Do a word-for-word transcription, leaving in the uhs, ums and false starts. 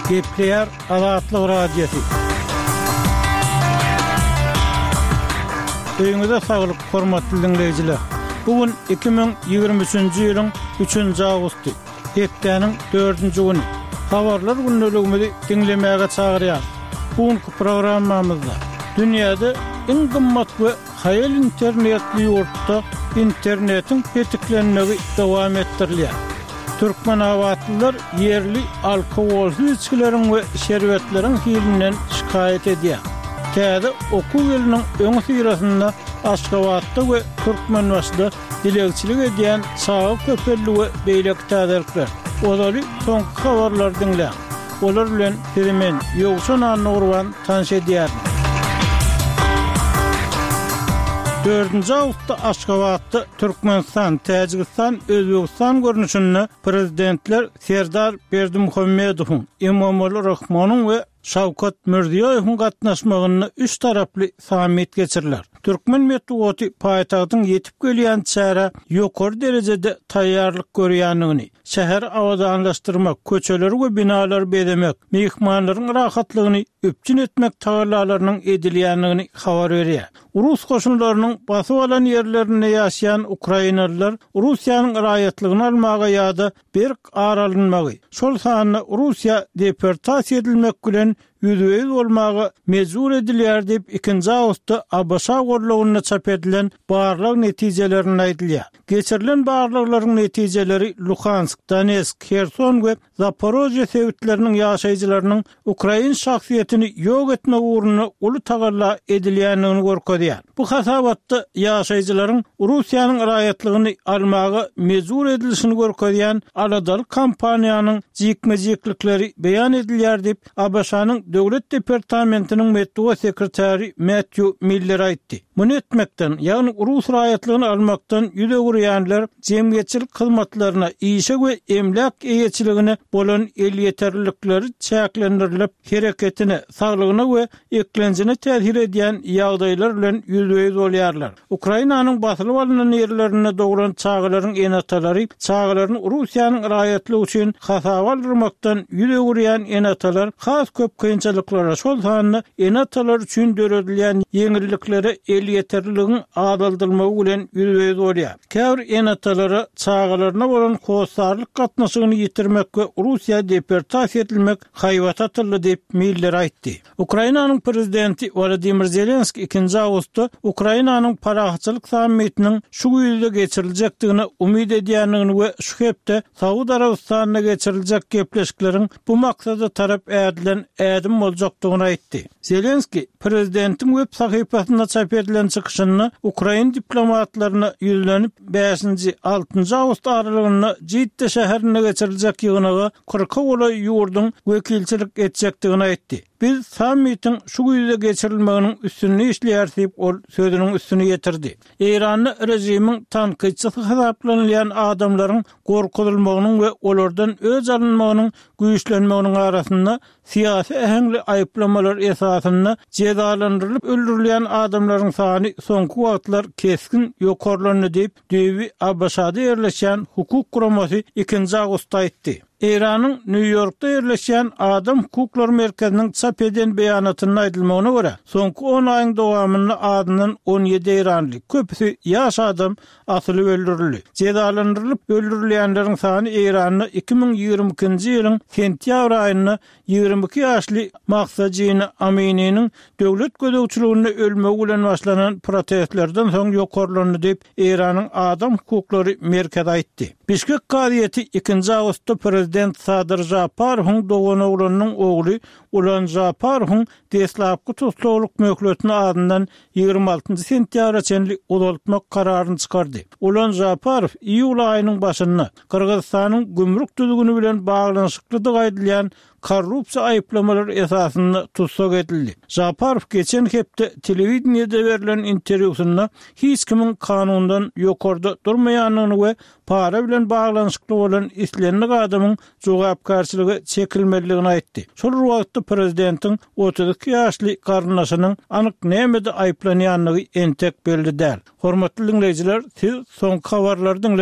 Gepleýär Azatlyk Radiosy. Öýüňize saglyk, hormatly diňleýjiler! Bu gün iki müň ýigrimi üçünji ýylyň üçünji awgusty, hepdäniň dördünji güni. Habarlar gündeligimizi diňlemäge çagyrýarys. Bu günki programmamyzda dünýäde iň gymmat we haýal internetli ýurtda internetiň petiklenmegi dowam etdirilýär. Türkmenabatlylar ýerli alkogolsyz içgileriň we şerbetleriň hilinden şikaýat edýär. Täze okuw ýylynyň öňüsyrasynda Aşgabatda we Türkmenbaşyda dilegçilik edýän çaga köpeldi we beýleki täzelikler. Ozaly soňky habarlary diňläň. Olar bilen sizi men, Ýowşan Annagurban tanyş edýärin. Dördünji awgustda Aşgabatda Türkmenistan, Täjigistan, Özbegistan görnüşinde Prezidentler Serdar Berdimuhamedowyň, Emomali Rahmonyň we Şawkat Mirziýoýewiň gatnaşmagynda üç taraply sammit geçiriler. Türkmen metbugaty paýtagtyň ýetip gelýän çärä ýokary derejede taýýarlyk görýändigini, şäheri abadanlaşdyrmak, köçeleri we binalary bezemek, myhmanlaryň rahatlygyny üpjün etmek tagallalarynyň edilýändigini habar berýär. Rus goşunlarynyň basyp alan ýerlerinde ýaşaýan ukrainalylar Russiýanyň raýatlygyny almaga ýa-da berk ar alynmagy, şol sanda Russiýa deportasiýa edilmek bilen ýüzbe-ýüz bolmaga mejbur edilýär diýip, ikinji awgustda ABŞ gollagynda çap edilen barlag netijelerinde aýdylýar. Geçirilen barlaglaryň netijeleri Luhansk, Donetsk, Herson we Zaporožýe sebitleriniň ýaşaýjylarynyň ukrain şahsyýetini ýok etmek ugrunda uly tagalla edilýändigini görkezýär. Bu hasabatda ýaşaýjylaryň Russiýanyň raýatlygyny almaga mejbur edilişini görkezýän aladaly kampaniýanyň jikme-jiklikleri beýan edilýär diýip, ABŞ-nyň Döwlet departamentiniň metbugat sekretary Mätýu Miller aýtdy. Muny etmekden, ýagny rus raýatlygyny almakdan ýüz öwürýänler jemgyýetçilik hyzmatlaryna, işe we emläk eýeçiligine bolan elýeterlilikleri çäklendirilip, hereketine, saglygyna we eklenjine täsir edýän ýagdaýlar bilen ýüzbe-ýüz bolýarlar. Ukrainanyň basylyp alnan ýerlerinde doglan çagalaryň ene-atalary çagalaryny Russiýanyň raýatlygy üçin hasaba aldyrmakdan ýüz öwürýän ene-atalar has köp kynçylyklara, şol sanda ene-atalar üçin döredilýän ýeňilliklere elýeterliligiň azaldylmagy bilen ýüzbe-ýüz bolýar. Käbir ene-atalara çagalaryna bolan hossarlyk gatnaşygyny ýitirmek we Russiýa deportasiýa edilmek haýbaty atyldy diýip, Miller aýtdy. Ukrainanyň prezidenti Wolodymyr Zelenskiý ikinji awgustda Ukrainanyň parahatçylyk sammitiniň şu güýzde geçiriljekdigine umyt edýändigini we şu hepde Saud Arabystanynda geçiriljek gepleşikleriň bu maksada tarap ädilen ädim boljakdygyny aýtdy. Zelenskiý prezidentiň web sahypasynda çap edilen çykyşynda ukrain diplomatlaryna ýüzlenip, bäşinji, altynjy awgust aralygynda Jidde şäherinde geçiriljek ýygnaga kyrka golaý ýurduň wekilçilik etjekdigini aýtdy. Biz sammitiň şu güýzde geçirilmeginiň üstünde işleýäris diýip, ol sözüniň üstüni ýetirdi. Eýranda režimiň tankytçysy hasaplanylýan adamlaryň gorkuzylmagynyň we olardan öç alynmagynyň güýçlenmeginiň arasynda syýasy äheňli aýyplamalar esasynda jezalandyrylyp öldürilýän adamlaryň sany soňky wagtlar kesgin ýokarlandy diýip, düýbi ABŞ-da ýerleşýän hukuk guramasy ikinji awgustda aýtdy. Eýranyň Nýu-Ýorkda ýerleşýän Adam hukuklary merkeziniň çap eden beýanatynda aýdylmagyna görä, soňky on aýyň dowamynda azyndan on ýedi eýranly, köpüsi ýaş adam asylyp öldürildi. Jezalandyrylyp öldürilýänleriň sany Eýranda iki müň ýigrimi ikinji ýylyň sentýabr aýynda ýigrimi iki ýaşly Mahsa Jina Amininiň döwlet gözegçiliginde ölmegi bilen başlanan protestlerden soň ýokarlandy diýip, Eýranyň Adam hukuklary merkezi aýtdy. Bişkek kazyýeti ikinji awgustda prezident Sadyr Žaparowyň doganoglanynyň ogly Ulan Žaparowyň deslapky tussaglyk möhletini azyndan ýigrimi altynjy sentýabra çenli uzaltmak kararyny çykardy. Ulan Žaparow iýul aýynyň başynda Gyrgyzystanyň gümrük düzgüni bilen baglanyşyklydygy aýdylýan korrupsiýa aýyplamalary esasynda tussag edildi. Žaparow geçen hepde telewideniýede berlen interwýusynda hiç kimiň kanundan ýokarda durmaýandygyny we para bilen baglanyşykly bolan islendik adamyň jogapkärçilige çekilmelidigini aýtdy. Şol bir wagtda prezidentiň otuz iki ýaşly garyndaşynyň anyk nämede aýyplanýandygy entek belli däl. Hormatly diňleýjiler, siz soňky habarlary diňlediňiz.